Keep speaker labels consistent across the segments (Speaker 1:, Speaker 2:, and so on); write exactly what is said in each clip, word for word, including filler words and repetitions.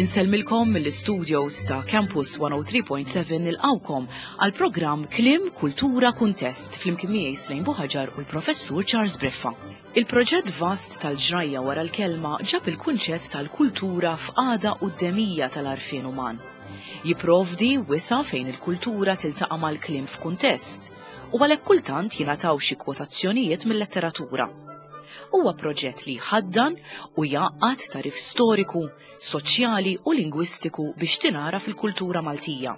Speaker 1: Insellmilkom mill-studios ta' Campus one oh three point seven, nilqgħukom għal programm Kliem Kultura Kuntest flimkien miegħi Slejn Buħaġar u l-Professur Charles Briffa. Il-proġett vast tal-ġrajja wara l-kelma ġab il-kunċett tal-kultura f'qagħda quddemija tal-għarfien uman. Jiprovdi wisa' fejn il-kultura tiltaqa' mal-kliem f'kuntest u għalhekk kultant jingħataw xi kwotazzjonijiet mill-letteratura. Huwa proġett li jħaddan u jgħaqqad tagħrif storiku, soċjali u lingwistiku biex tingħaraf il-kultura Maltija.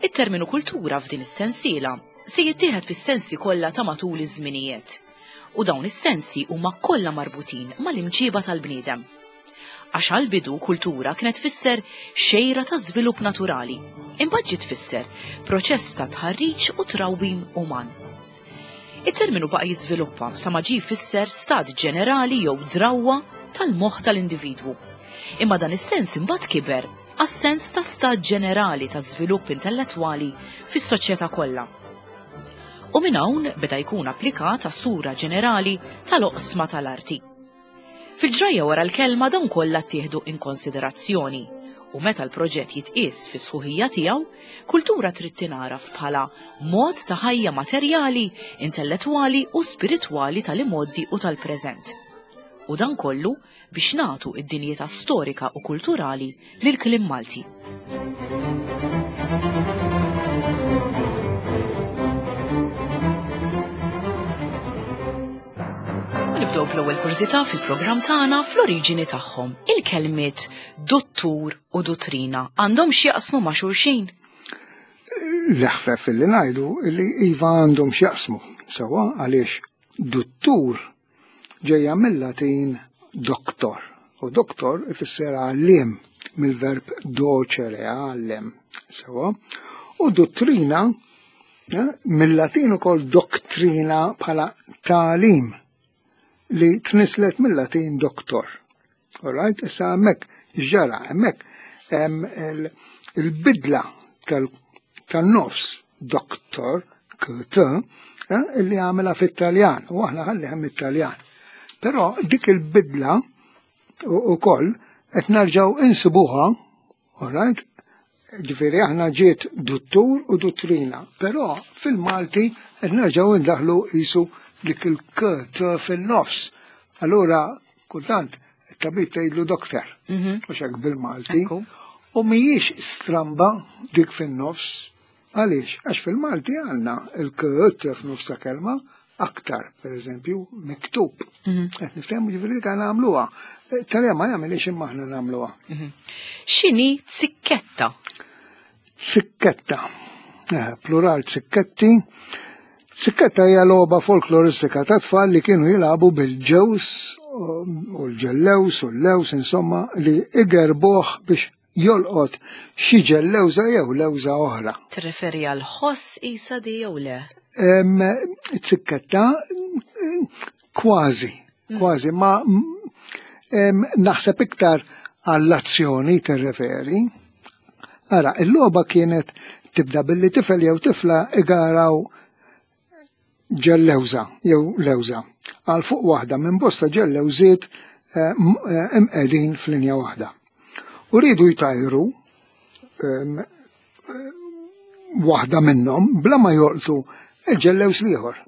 Speaker 1: It-terminu kultura f'din is-sensiela se jittieħed fis-sensi kollha ta' matul iż-żminijiet. U dawn is-sensi huma kollha marbutin mal-imġiba tal-bniedem. Għax għal-bidu kultura kienet tfisser xejra ta' żvilupp naturali, imbagħad ġiet tfisser proċess ta' tħarriġ u trawwim uman. Il-terminu baqa' jiżviluppa sa ma ġie jfisser stat ġenerali jew drawwa tal-moħħ tal-individwu. Imma dan is-sens imbagħad kiber għas-sens ta' stat ġenerali ta' żvilupp intellettwali fis-soċjetà kollha. U minn hawn beda jkun applikat għas-sura ġenerali tal-oqsma tal-arti. Fil-ġrajja wara l-kelma dawn kollha ttieħdu in konsiderazzjoni u meta l-proġett jitqies fi sħuħija tiegħu, kultura trid tingħaraf bħala mod ta' ħajja materjali, intellettwali u spiritwali tal-imgħoddi u tal-preżent. U dan kollu biex nagħtu id-dinjità storika u kulturali lil kliem Malti. U nibdew bl-ewwel kurżità fil-programm tagħna. Fl-oriġini tagħhom, il-kelmiet dottur u dottrina għandhom x'jaqsmu ma' xulxin?
Speaker 2: L-eħfef li ngħidu li iva, għandhom x'jaqsmu. Sewwa, għaliex duttur ġejja mill-Latin doctor. U doktor ifisser għallim, mill-verb docere, għallem. Sewwa. U dottrina eh, mill-Latin ukoll doctrina bħala tagħlim li tnislet mill-Latin doctor. Alright, issa hemmhekk ġara, hemmhekk hemm il-bidla tal-nofs doktor, K T, eh, illi għamela fit-Taljan, u aħna ħalli hemm it-Taljan. Però dik il-bidla u koll qed nerġgħu insibuha, alright, ġifieri aħna ġiet duttur u dottrina, però fil-Malti qed nerġgħu indaħlu qisu dik il-K T fil-nofs. Allura, kultant, it-tabib tgħidlu doktor,
Speaker 1: Mhm.
Speaker 2: u hekk bil-Malti.
Speaker 1: Ekku.
Speaker 2: U mhijiex stramba dik fin-nofs. Għaliex? Għax fil-Malti għandna il-K T f'nofs ta' kelma aktar, per eżempju, miktub.
Speaker 1: Mhm.
Speaker 2: Qed niftehmu, ġifieri dik nagħmluha. Talja ma jagħmilx, imma aħna nagħmluha.
Speaker 1: Mhm. X'inhi zikketta?
Speaker 2: Zikketta. Eh, plural zikketti. Zikketta hija logħba folkloristika ta' tfal li kienu jilagħbu bil-ġews u l-ġellews u l-lews, insomma, li igerbuh biex jolqot xi ġellewża jew lewża oħra.
Speaker 1: Tirreferi għal ħoss isa di jew le?
Speaker 2: Em, Zikketta kważi, kważi, ma em, naħseb iktar għall-azzjoni tirreferi. Ara, il-logħba kienet tibda billi tifel jew tifla igaraw ġellewża jew lewża għal fuq waħda minn bosta ġellewżiet eh, m- eh, imqegħdin f'linja waħda. U rridu jtajru em, eh, waħda minnhom bla ma jolqtu il-ġellews l-ieħor.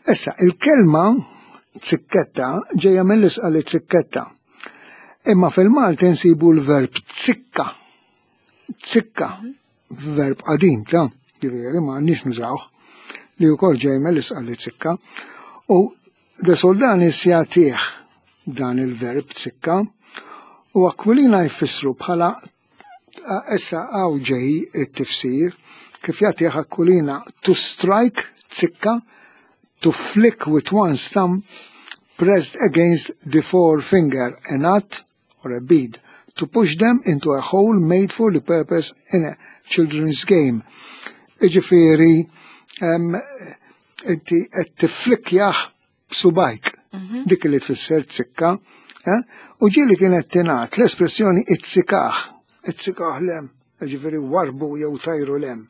Speaker 2: Issa, il-kelma zikketta ġejja mill-Isqalli zikketta. Imma fil-Malti nsibu l-verb zikka. Zikka, verb qadim ta', ġifieri ma għandniex nużawh, li wkoll ġej mill-Isqalli zikka. U De Soldanis jagħtih dan il-verb zikka u Aquilina jfissru bħala, issa hawn ġej it-tifsir kif jagħtih Aquilina: to strike, zikka, to flick with one's thumb pressed against the forefinger a nut or a bead, to push them into a hole made for the purpose in a children's game. Iġifieri, em, inti qed tiflikjah b'subgħajk, dik li tfisser zikka, eh? U ġieli kienet tingħad l-espressjoni izzikah, izzikah 'l hemm, ġifieri warbu jew tajru 'l hemm.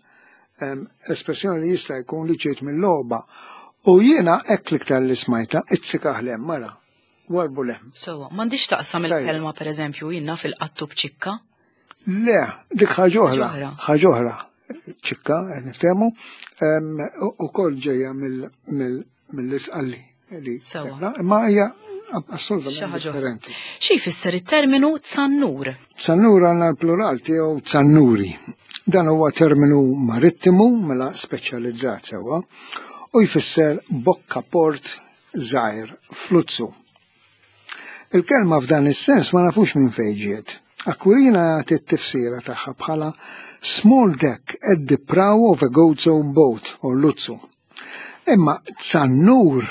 Speaker 2: Em, Espressjoni li jista' jkun li ġiet mill-logħba. U jiena hekk l-iktar li smajta, izzikah 'l hemm, mara. Warbu lem.
Speaker 1: Sewwa, m'għandix taqsam il-kelma pereżempju jiena fil-qattu b'ċikka?
Speaker 2: Le, dik ħaġa oħra. Ħaġa oħra. Ċikka, qed niftehmu, ukoll ġejja mill-Isqalli.
Speaker 1: Sewwa.
Speaker 2: Imma hija assolutament differenti.
Speaker 1: Xi jfisser it-terminu tsannur?
Speaker 2: Tsannur għandna l-plural tiegħu tsannuri. Dan huwa terminu marittimu mela speċjalizzat sewwa u jfisser bokka port żgħir fluzzu. Il-kelma f'dan is-sens ma nafux minn fejn ġiet. Aquilina jagħti t-tifsira tagħha bħala small deck at the prow of a Gozo boat or luzzu. Imma tsannur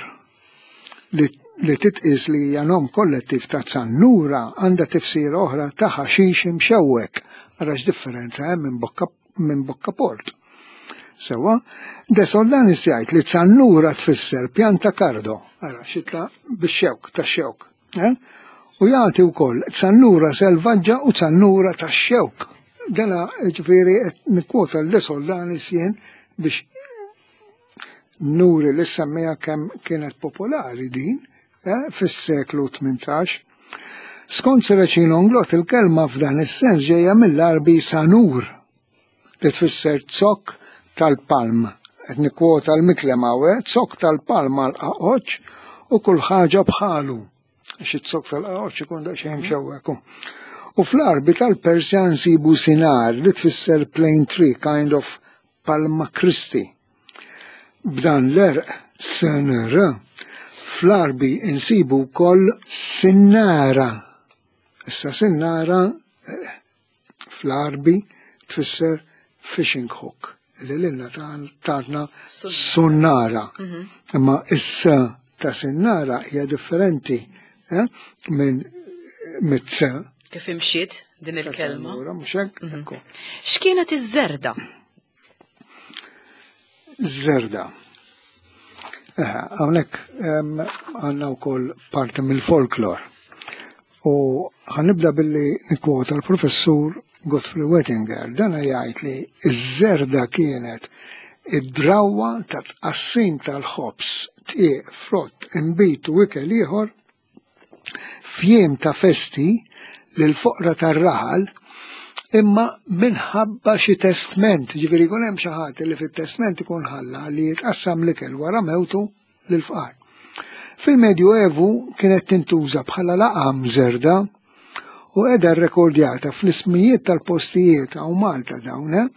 Speaker 2: li, li titqis li hija nom kollettiv ta' tsannura għandha tifsira oħra ta' ħaxix imxewwek. Ara x'differenza hemm minn bokka minn bokka port. Sewwa, De Soldanis jgħid li tsannura tfisser pjanta kardo, ara xitla bix-xewk tax-xewk. Eh? U jagħti wkoll tsannura selvaġġa u tsannura tax-xewk. Dana ġifieri qed nikkwota l-De Soldanis jien biex nuri li semmija kemm kienet popolari din eh, fis-seklu tmintax. Skont Serracino Inglott il-kelma f'dan is-sens ġejja mill-Arbi sanur li tfisser zokk tal-palm. Qed nikkwota l-Micklem hawn, zokk tal-palm għal qaqoċ u kull ħaġa bħalu. Għax iz-zokk tal-qaqoċ ikun daqsxejn mxewwek. U fl-Arbi tal-Persja nsibu sinar li tfisser plane tree, kind of palma Christi. B'dan l-erq S N R fl-Arbi insibu wkoll sinnara. Issa sinnara eh, fl-Arbi tfisser fishing hook li lilna tatna sunnara. Imma issa ta' sinnara hija differenti eh, minn mit-s.
Speaker 1: Kif imxiet din il-kelma?
Speaker 2: Mhux hekk? Ekku.
Speaker 1: X'kienet iż-żerda?
Speaker 2: Żerda. Hawnhekk għandna wkoll parti mill-folklor. U ħanibda billi nikkwota l-professur Godfrey Wettinger. Dan jgħid li iż-żerda kienet id-drawwa ta' tqassim tal-ħobż, dqiq, frott, inbid u ikel ieħor f'jiem ta' festi lil foqra tar-raħal imma minħabba xi testment, ġifieri jkun hemm xi ħadd li fit-testment ikun ħalla li jitqassam l-ikel wara mewtu lil fqar. Fil-Medju Evu kienet tintuża bħala laqam żerda u qiegħda rrekordjata fl-ismijiet tal-postijiet hawn Malta dawn, eh?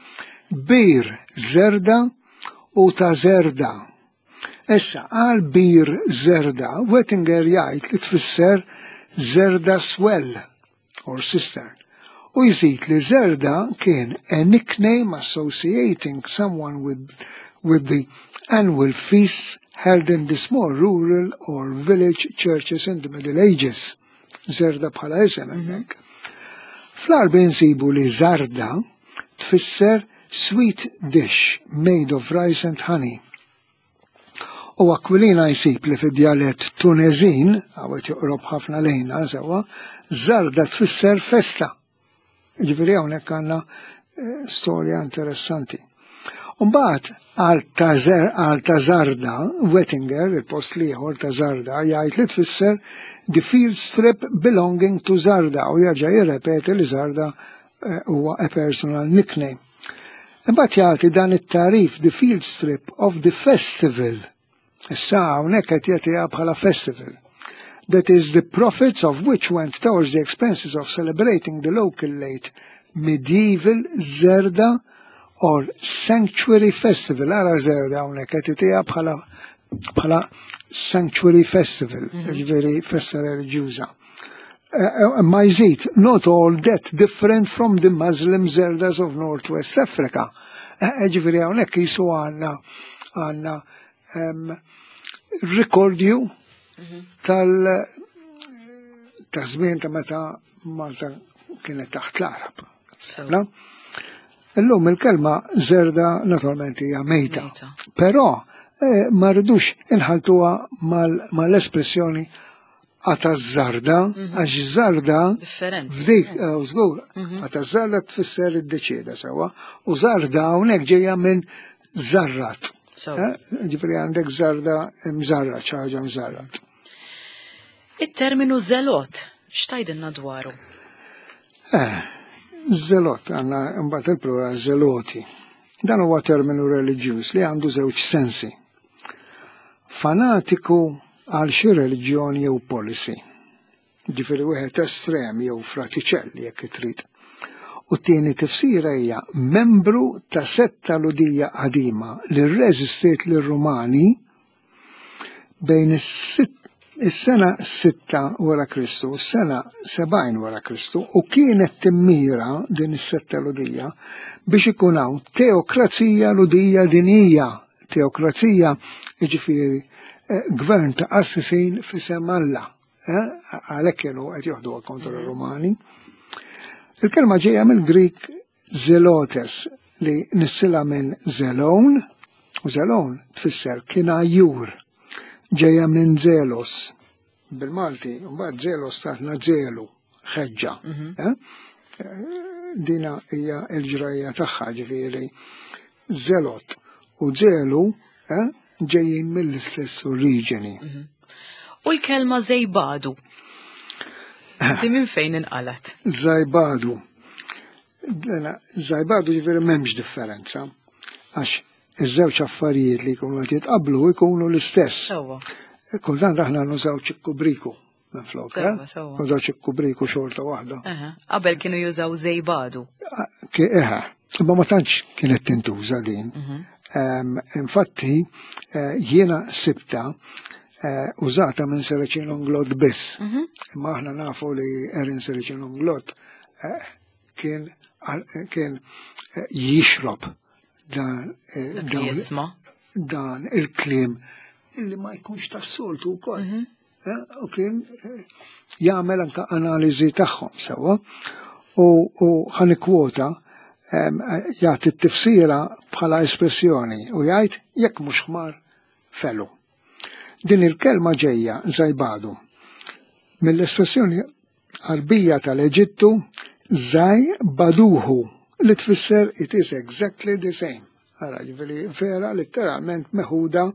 Speaker 2: Bir Żerda u ta' Zerda. Issa, għal Bir Zerda, Wettinger jgħid li tfisser Zerda Swell or cistern. U jżid li Zerda kien a nickname associating someone with, with the annual feasts held in the small rural or village churches in the Middle Ages. Zerda bħala isem hemmhekk. Fl-Arbi nsibu li Zarda tfisser sweet dish made of rice and honey. U Aquilina jsib li fid-djalett Tunezin, għawet joqrob ħafna lejna, sewwa, Zarda tfisser festa. Ġifieri hawnhekk għandna eh, storja interessanti. Umbagħad għal ta' Zarda, Wettinger, il-post l-ieħor ta' Zarda, jgħid li tfisser the field strip belonging to Zarda, u jerġa' jirrepeti li Zarda eh, huwa a personal nickname. Imbagħad jagħti dan it-tarif the field strip of the festival. Issa hawnhekk qed jagħtiha bħala festival. That is the profits of which went towards the expenses of celebrating the local late medieval Zerda or Sanctuary Festival. Ara Zerda hawnhekk qed jagħtiha bħala bħala Sanctuary Festival, ġifieri festa reliġjuża. Ma jżid, not all that different from the Muslim Zerdas of Northwest Africa. Ġifieri hawnhekk jisu għandna għandna rikordju tal ta' żmien ta' meta Malta kienet taħt l-Arab.
Speaker 1: So.
Speaker 2: Illum il-kelma zerda naturalment hija mejta.
Speaker 1: Mejta.
Speaker 2: Però eh, ma rridux inħaltuha mal-espressjoni għata zarda, għax zarda
Speaker 1: Differenti.
Speaker 2: f'dik, eh, żgur, għata zarda tfisser id-deċieda sewwa, u zarda hawnhekk ġejja minn zarrat.
Speaker 1: So.
Speaker 2: Eh, Ġifieri għandek zarda mżarrat, xi ħaġa mżarrat.
Speaker 1: It-terminu zelot, x'tgħidilna dwaru?
Speaker 2: Eh, zelot, għandna mbagħad il-plural zeloti. Dan huwa terminu reliġjuż li għandu żewġ sensi. Fanatiku għal xi reliġjoni jew policy. Ġifieri wieħed estrem jew fratiċell jekk trid. U t-tieni tifsira hija membru ta' setta Lhudija qadima li rreżistiet lir-Rumani bejn is-sena sitta wara Kristu u s-sena sebgħin wara Kristu, u kienet timmira din is-setta Lhudija biex ikun hawn teokrazija Lhudija dinija. Teokrazija jiġifieri gvern ta' qassisin f'isem Alla. Għalhekk kienu qed joħduha kontra r-Rumani. Il-kelma ġejja mill-Grik zelotes li nissila minn zelon, u zelon tfisser kien għajjur, ġejja minn zelos. Bil-Malti, mbagħad zelos taħna zelu, ħeġġa. Dina hija l-ġrajja tagħha, ġifieri zelot u zelu ġejjin mill-istess oriġini.
Speaker 1: U l-kelma zejbadu? Di minn fejn inqalat?
Speaker 2: Zajbadu. Zajbadu ġifieri m'hemmx differenza, għax iż-żewġ affarijiet li jkunu qed jitqablu jkunu l-istess. Kultant aħna nużaw ċikku briku minn flok, nużaw ċikku briku xorta waħda.
Speaker 1: Qabel kienu jużaw zejbadu.
Speaker 2: Eħe, imma ma tantx kienet tintuża din. Infatti jiena sibta użata minn Serracino Inglott biss. Imma aħna nafu li Erin Serracino Inglott kien kien jixrob dan dan il-kliem illi ma jkunx tas-soltu wkoll. U kien jagħmel anke analiżi tagħhom sewwa. U ħanikwota jagħti t-tifsira bħala espressjoni u jgħid jekk mhux ħmar felu. Din il-kelma ġejja zajbadu mill-espressjoni Għarbija tal-Eġittu zajbaduhu li tfisser it is exactly the same. Ara, ġifieri vera letteralment meħuda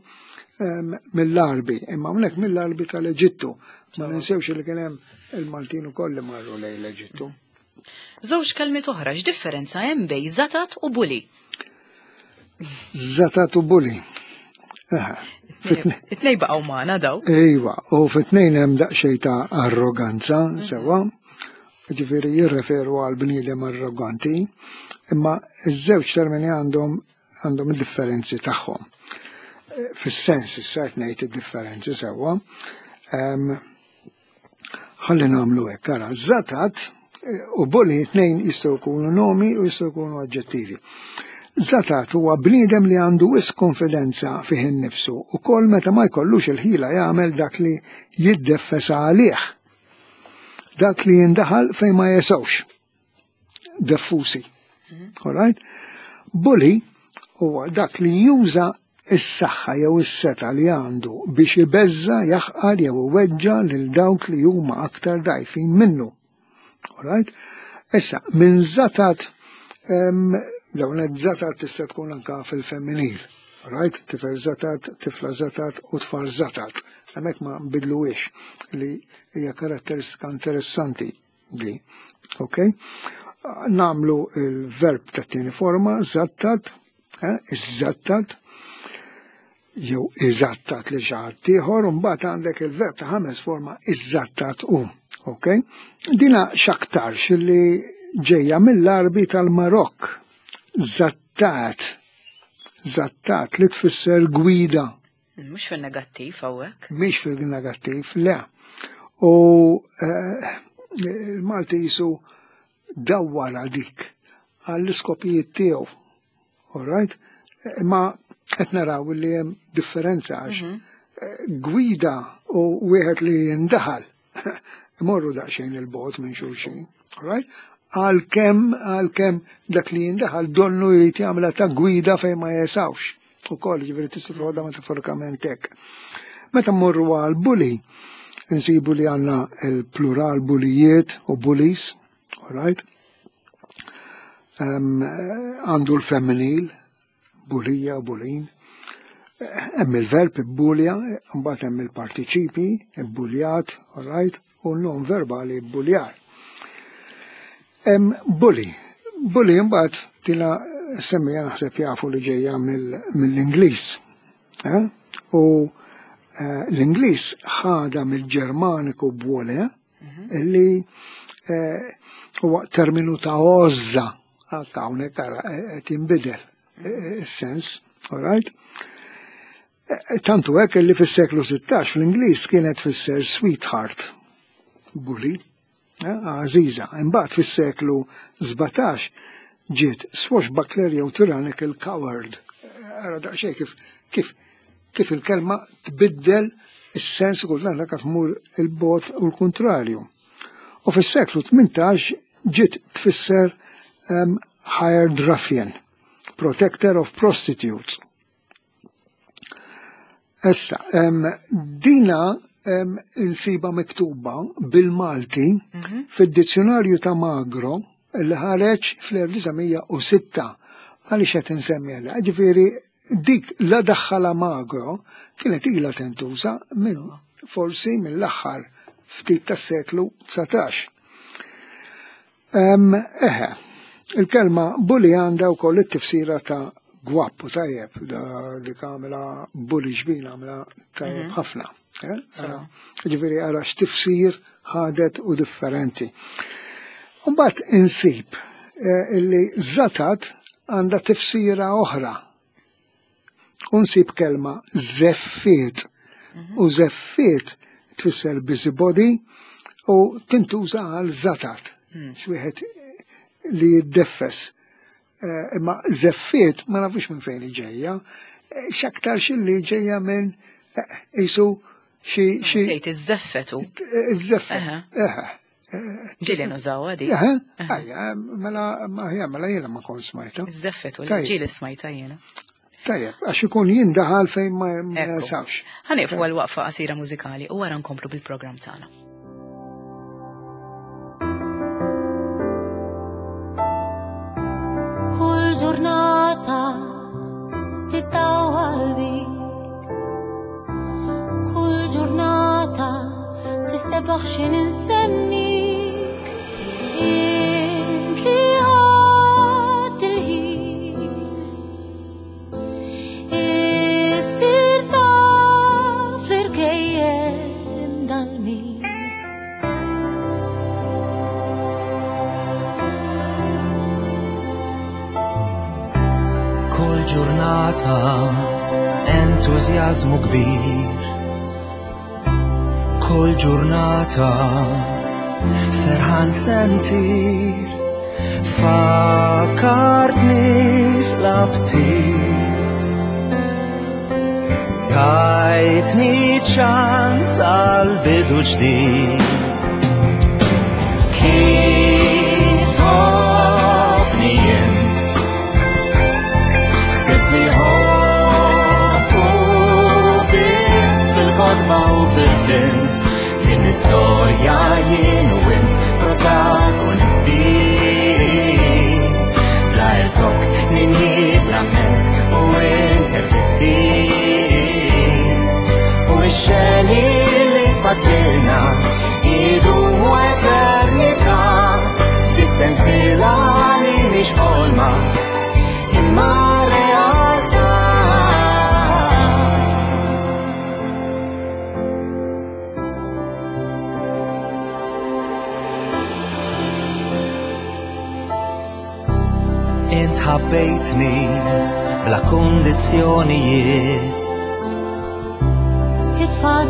Speaker 2: mill-Arbi, imma hawnhekk mill-Arbi tal-Eġittu. Ma ninsewx li kien hemm il-Maltin ukoll li marru lejn l-Eġittu.
Speaker 1: Żewġ kelmiet oħra, x'differenza hemm bejn zatat u buli?
Speaker 2: Zatat u buli.
Speaker 1: It-tnejn baqgħu magħna daw.
Speaker 2: Ejwa, u fit-tnejn hemm daqsxejn ta' arroganza, sewwa. Ġifieri jirreferu għal bniedem arroganti, imma iż-żewġ termini għandhom għandhom id-differenzi tagħhom. Fis-sens issa qed ngħid id-differenzi sewwa. Ħalli nagħmlu hekk, ara, zatat u buli tnejn jistgħu jkunu nomi u jistgħu jkunu aġġettivi. Zatat huwa bniedem li għandu wisq konfidenza fih innifsu u kol meta ma jkollux il-ħila jagħmel dak li jiddeffesa għalih. Dak li jindaħal fejn ma jesewx. Deffusi. All right? Bully huwa dak li juża is-saħħa jew is-seta li għandu biex ibeżża, jaħqar jew iweġġa lil dawk li huma aktar dgħajfin minnu. All right? Issa, minn zatat dawn zatat tista' tkun anka fil-femminil. Right? Tifel zatat, tifla zatat u tfal zatat. Hemmhekk ma nbidluhiex li hija karatteristika interessanti di. Ok? Namlu il-verb tat-tieni forma, zattat, iżattat, jew iżattat li xi ħadd ieħor, u mbagħad għandek il-verb ta' ħames forma iżattat u. Ok? Dina x'aktarx li ġejja mill-Arbi tal-Marokk. Zattat, zattat li tfisser gwida.
Speaker 1: Mhux fil-negattiv hawnhekk.
Speaker 2: Mhix fil-negattiv, le. U il-Malti jisu dawwara dik għall-iskopijiet tiegħu. All right? Imma qed naraw li hemm differenza għax gwida u wieħed li jindaħal imorru daqsxejn il-bogħod minn xulxin. All right? Għalkemm għalkemm dak li jindaħal donnu jrid jagħmilha ta' gwida fejn ma jesawx. Ukoll ġifieri tista' toħodha metaforikament hekk. Meta mmorru għal bully, insibu li għandna il-plural bulijiet u bullies, all right? Għandu l-femminil, bulija u bulin. Hemm il-verb ibbulja, mbagħad hemm il-partiċipi, ibbuljat, all right, u n-nom verbali ibbuljar. Hemm bully. Bully mbagħad tina semmija naħseb jafu li ġejja mill-Ingliż. Eh? U eh, l-Ingliż ħada mill-Ġermaniku bwole, illi eh, huwa terminu ta' għożża, anke hawnhekk ara qed jinbidel is-sens, all right? Tantu hekk li fis-seklu sittax fl-Ingliż kienet tfisser sweetheart, bully, għażiża. Imbagħad fis-seklu sbatax ġiet swashbuckler jew tyrannical coward. Ara daqsxejn kif kif kif il-kelma tbiddel is-sens kultant dak tmur il-bot u l-kontrarju. U fis-seklu tmintax ġiet tfisser um, hired ruffian, protector of prostitutes. Issa, um, dina um, insiba miktuba bil-Malti mm -hmm. fid-dizzjonarju ta' Magro li ħareġ fl-elf disa' mija u sitta. Għaliex qed insemmi għalha? Ġifieri dik la daħħala Magro kienet ilha tintuża minn forsi mill-aħħar ftit tas-seklu dsatax. Um, eħe, il-kelma bully għandha wkoll it-tifsira ta' gwappu tajjeb, dik għamela bully ġbin għamela tajjeb ħafna. Ġifieri ara x'tifsir ħadet u differenti. Mbagħad insib illi zatat għandha tifsira oħra. Unsib kelma zeffiet. U zeffiet tfisser busybody u tintuża għal zatat. X'wieħed li jiddeffes. Imma zeffiet ma nafux minn fejn ġejja, x'aktar xilli ġejja minn isu xi xi.
Speaker 1: Tgħid iż-żeffetu.
Speaker 2: Iż-żeffet. Eħe.
Speaker 1: Ġieli nużawha di.
Speaker 2: Eħe, ejja, mela mela jiena ma kont smajta.
Speaker 1: Iż-żeffetu, ġieli smajta jiena.
Speaker 2: Tajjeb, għax ikun jindaħal fejn ma jasawx.
Speaker 1: Ħanieqfu għal waqfa qasira mużikali u wara nkomplu bil-programm tagħna.
Speaker 3: Kull ġurnata titawwal bik, kull ġurnata tissebaħ x'in insemmik, int li għad il-ħin issir taf l-irkejjem dal-min.
Speaker 4: Kull ġurnata entużjażmu kbir, kull ġurnata ferħan sentir, fakkartni fl-aptit, tajtni ċans għal bidu ġdid. Kif ħobni int, ħsibt li ħobbu biss fil-kotba u fil-films, din l-istorja jien u int protagonisti. Bla irtok, ninhi, bla ment u intervisti. U x-xeni li fadlilna idumu eternità, dis-sensiela li mhix ħolma imma realtà. Int ħabbejtni bla kundizzjonijiet,
Speaker 3: titfa'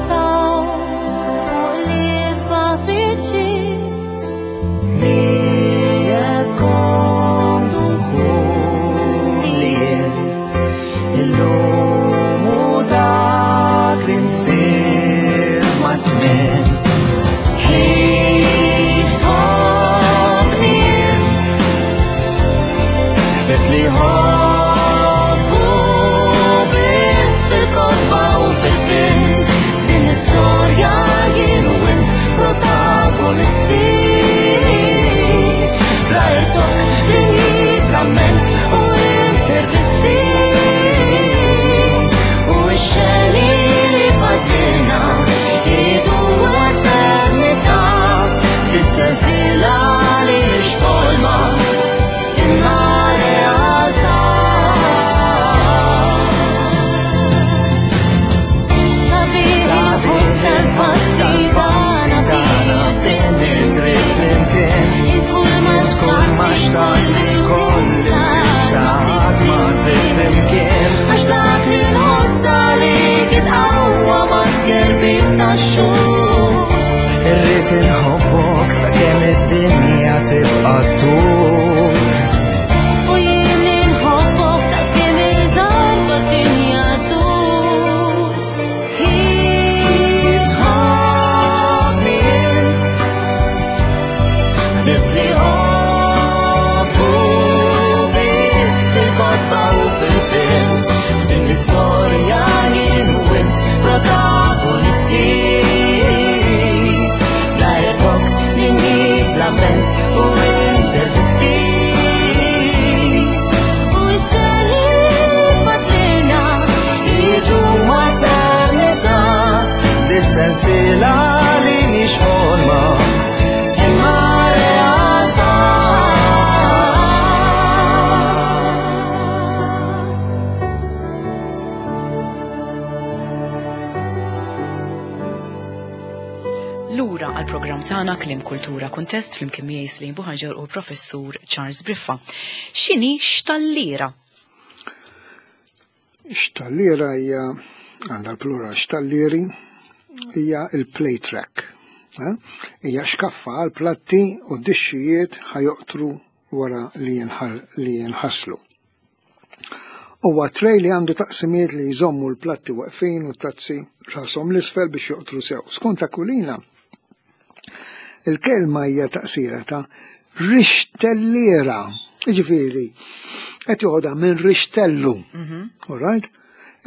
Speaker 3: fuq l-isbaħ biċċiet,
Speaker 4: miegħek komdu nkun li jien, illum u dak li nsir ma' żmien. Kif tħobbni int, ħsibt li ħobbu biss fil-kotba u fil-films, f'din l-istorja jien u int protagonisti. Bla irtok, linji, bla ment u intervisti. U Irrid inħobbok sakemm id-dinja tibqa' ddur.
Speaker 3: U jien li nħobbok daqskemm il-darba d-dinja ddur. Kif tħobbni int, ħsibt li ħobbu biss fil-kotba u fil-films. F'din l-istorja jien u int protagonisti. Bla irtok, ninni, bla vent u intervisti. U x-xeni fatlilna
Speaker 4: Idum eternità, dis-sensiela li mhix ħolma imma realtà.
Speaker 1: Lura għal programm tagħna Kliem Kultura Kuntest flimkien miegħi Slim Buħaġar u Professur Charles Briffa. X'inhi xtalliera?
Speaker 2: Xtalliera hija għandha l-plural xtallieri hija il-plate rack. Eh? Hija xkaffa għal platti u dixxijiet ħajoqtru wara li jinħal li jinħaslu. Huwa tray li għandu taqsimiet li jżommu l-platti waqfin u tazzi rashom l-isfel biex joqtru sew. Skont Aquilina, il-kelma hija taqsira ta' rixtelliera. Jiġifieri, qed joħodha minn rixtellu. All right?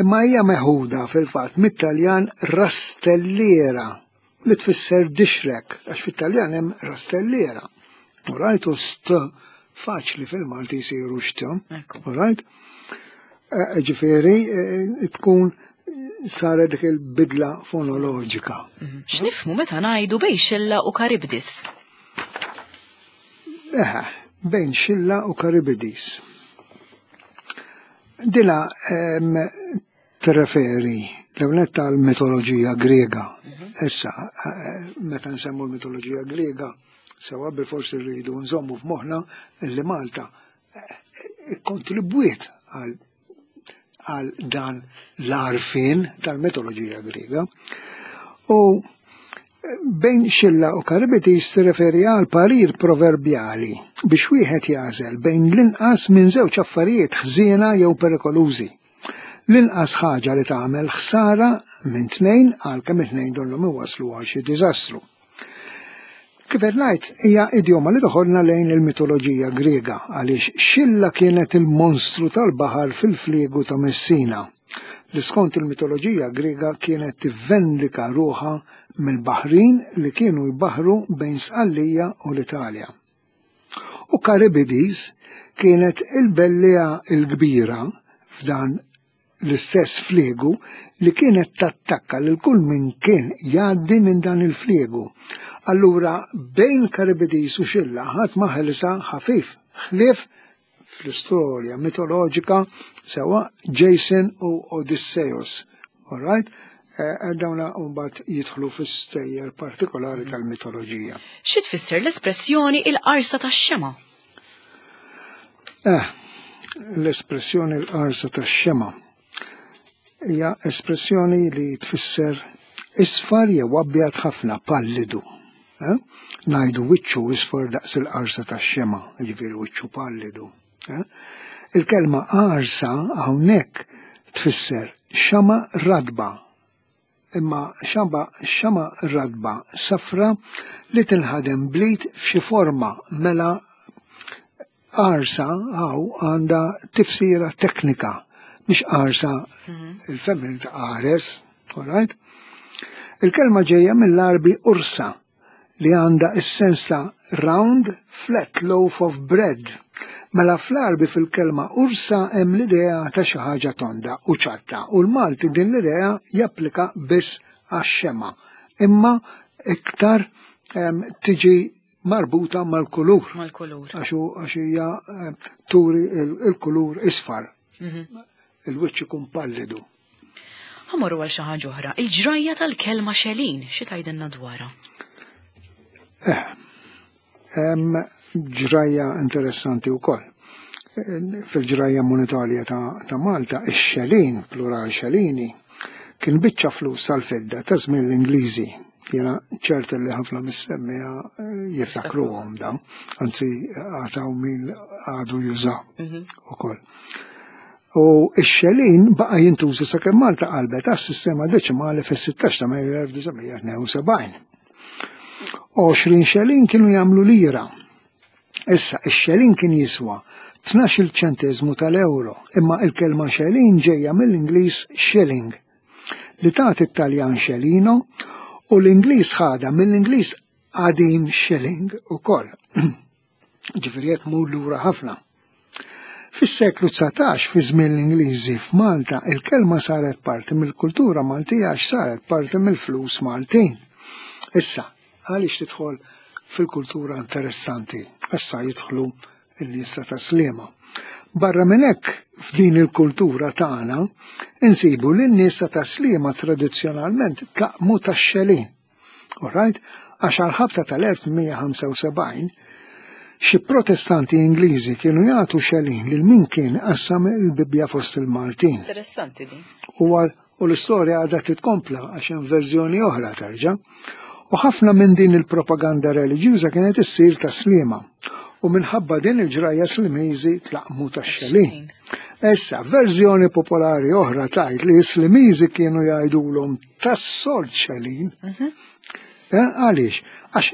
Speaker 2: Imma hija meħuda fil-fatt mit-Taljan rastelliera li tfisser dixrek, għax fit-Taljan hemm rastelliera. All right? U st faċli fil-Malti jsiru xt.
Speaker 1: Ekku.
Speaker 2: All right? Eh, Ġifieri, eh, tkun saret dik il-bidla fonoloġika.
Speaker 1: X'nifhmu meta ngħidu bejn Xilla u Karibdis?
Speaker 2: Eħe, bejn Xilla u Karibdis. Dila em, tirreferi l-ewwel tal-mitoloġija Griega. Issa, eh, meta nsemmu l-mitoloġija Griega, sewa bil-forsi rridu nżommu f'moħħna li Malta eh, ikkontribwiet għal għal dan l-arfin tal-mitoloġija Griega. U bejn Xilla u Karibdis tirreferi għal parir proverbjali biex wieħed jażel bejn l-inqas minn żewġ affarijiet ħżiena jew perikolużi. L-inqas ħaġa li tagħmel ħsara minn tnejn għalkemm it-tnejn donnhom iwasslu għal xi diżastru. Kif qed ngħid, hija idjoma li toħodna lejn il-mitoloġija Griega għaliex Xilla kienet il-monstru tal-baħar fil-fliegu ta' Messina, li skont il-mitoloġija Griega kienet tivvendika ruħha mill-baħrin li kienu jbaħru bejn Sqallija u l-Italja. U Karibdis kienet il-bellija l-kbira f'dan l-istess fliegu li kienet tattakka lil kull min kien jgħaddi minn dan il-fliegu. Allura bejn Karibdis u Xilla ħadd ma ħelsa ħafif, ħlief fl-istorja mitoloġika sewa Jason u Odysseus. All right? Eh, dawna mbagħad jidħlu fis-stejjer partikolari tal-mitoloġija.
Speaker 1: Xi tfisser l-espressjoni il-qarsa tax-xema?
Speaker 2: Eh, l-espressjoni l-qarsa tax-xema hija espressjoni li tfisser isfar jew abjad ħafna, pallidu. Eh? Ngħidu wiċċu isfar daqs il-qarsa tax-xema, jiġifieri wiċċu pallidu. Eh? Il-kelma qarsa hawnhekk tfisser xama radba, imma xama, xama radba safra li tinħadem blit f'xi forma, mela qarsa hawn għandha tifsira teknika, mhix qarsa il-femmin ta' qares, all right? Il-kelma ġejja mill-Arbi ursa li għandha is-sens ta' round flat loaf of bread. Mela fl-Arbi fil-kelma ursa hemm l-idea ta' xi ħaġa tonda u ċatta, u l-Malti din l-idea japplika biss għax-xema, imma iktar, em, tiġi marbuta mal-kulur.
Speaker 1: Mal-kulur.
Speaker 2: Għax hu, għax hija, em, turi il-, il-kulur isfar.
Speaker 1: Mhm.
Speaker 2: Il-wiċċ ikun pallidu.
Speaker 1: Ħamorru għal xi ħaġa oħra, il-ġrajja tal-kelma xelin, xi tgħidilna dwarha?
Speaker 2: Eh, hemm ġrajja interessanti wkoll. Eh, fil-ġrajja monetarja ta', ta' Malta, ix-xelin, plural xelini, kien biċċa flus tal-fidda ta' żmien l-Ingliżi Jiena ċert li ħafna mis-semmiegħa jiftakruhom dawn, anzi għad hawn min għadu juża ukoll. U x-xelin baqa jintuża sakemm Malta qalbet għas-sistema deċimali fis-sittax ta' Mejju elf disa' mija tnejn u sebgħin. għoxrin xelin kienu jagħmlu lira. Issa, ix-xelin kien jiswa tnax-il ċentesmu tal-euro, imma il-kelma xelin ġejja mill-Ingliż shilling, li tagħti it-Taljan scellino, u l-Ingliż ħadha mill-Ingliż qadim shilling ukoll. Ġifieri qed mur lura ħafna. Fis-seklu dsatax, fi żmien l-Ingliżi f'Malta, il-kelma saret parti mill-kultura Maltija għax saret parti mill-flus Maltin. Issa, għaliex tidħol fil-kultura interessanti? Issa jidħlu il-nies ta' Tas-Sliema. Barra minn hekk, f'din il-kultura tagħna insibu li n-nies ta' Tas-Sliema tradizzjonalment tlaqqmu tax-xelin. Alright? Għax għal-ħabta tal-elf tmien mija ħamsa u sebgħin xi protestanti Ingliżi kienu jagħtu xelin lil min kien qassam il-Bibbja fost il-Maltin.
Speaker 1: Interessanti din.
Speaker 2: U għal- u l-istorja għadha titkompla għax hemm verżjoni oħra terġa'. U ħafna minn din il-propaganda reliġjuża kienet issir Tas-Sliema. U minħabba din il-ġrajja Slimiżi tlaqqmu tax-xelin. Issa, verżjoni popolari oħra tgħid li s-Slimiżi kienu jgħidulhom tas-sold xelin. Eh, Għaliex? Għax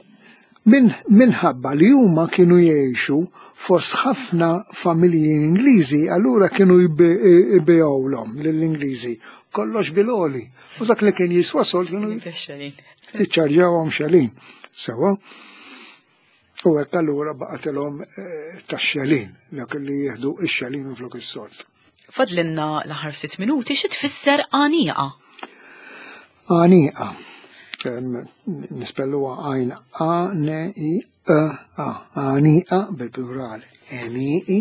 Speaker 2: min, minħabba li huma kienu jgħixu fost ħafna familji Ingliżi, allura kienu jbigħulhom lill-Ingliżi kollox bil-għoli. U dak li kien jiswa sold kienu
Speaker 1: Xelin.
Speaker 2: jiċċarġawhom xelin. Sewa. U hekk allura baqgħetilhom eh, tax-xelin, dak li jieħdu ix-xelin minflok is-sold.
Speaker 1: Fadlinna l-aħħar ftit minuti, xi tfisser għanieqa?
Speaker 2: Għanieqa. Em, Nispelluha għajn A, N, I, E, A. Għanieqa bil-plural. Eniqi.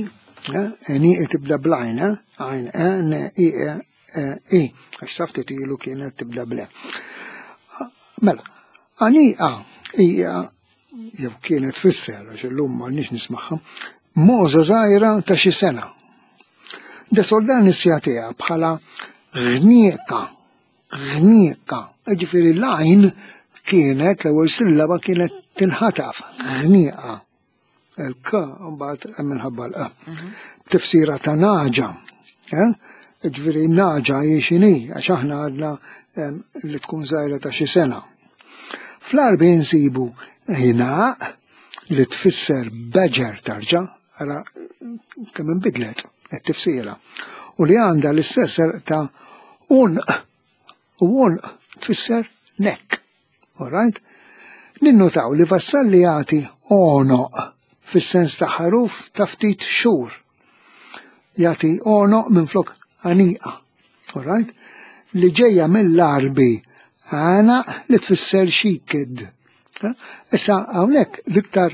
Speaker 2: eh, Eniqi tibda bl-għajn, eh? Għajn E, N, I, E, E, I. Għax sa ftit ilu kienet tibda bl-E. Mela, għanieqa hija jew kienet tfisser, għax illum m'għandniex nismagħha, mogħża żgħira ta' xi sena. De Soldanis jagħtiha bħala ghnieqa, ghnieqa. Ġifieri l-għajn kienet, l-ewwel sillaba kienet tinħataf, ghnieqa. Il-k mbagħad minħabba l-e. Tifsira ta' nagħġa. eh? Ġifieri nagħġa hi x'inhi, għax aħna għadna em, li tkun żgħira ta' xi sena. Fl-Għarbi nsibu ħinaq li tfisser badger tarġa, ara kemm inbidlet it-tifsira. U li għandha l-istess ta' għonq, u għonq tfisser neck. Alright? Ninnotaw li Vassalli jagħti għonoq fis-sens ta' ħaruf ta' ftit xhur. Jagħti għonoq minn flok għanieqa. Alright? Li ġejja mill-Għarbi għana li tfisser xi kid. Eh? Issa hawnhekk l-iktar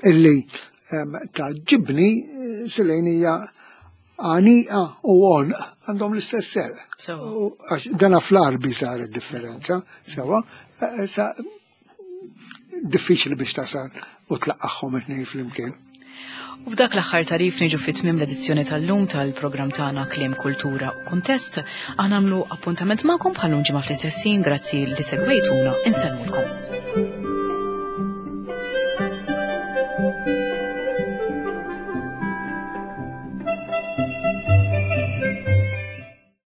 Speaker 2: illi em, tgħaġġibni eh, silejn hija għanieqa u għonq għandhom l-istess serq.
Speaker 1: Sewa.
Speaker 2: U għax dana fl-Għarbi saret differenza, sewa, eh, sa diffiċli biex tasal u tlaqqagħhom it-tnejn flimkien.
Speaker 1: U b'dak l-aħħar tagħrif niġu fi tmiem l-edizzjoni tal-lum tal-programm tagħna Kliem, Kultura u Kuntest. Aħna nagħmlu appuntament magħkom bħal ġimgħa fl-istess ħin. Grazzi li segwejtuna, insellmulkom.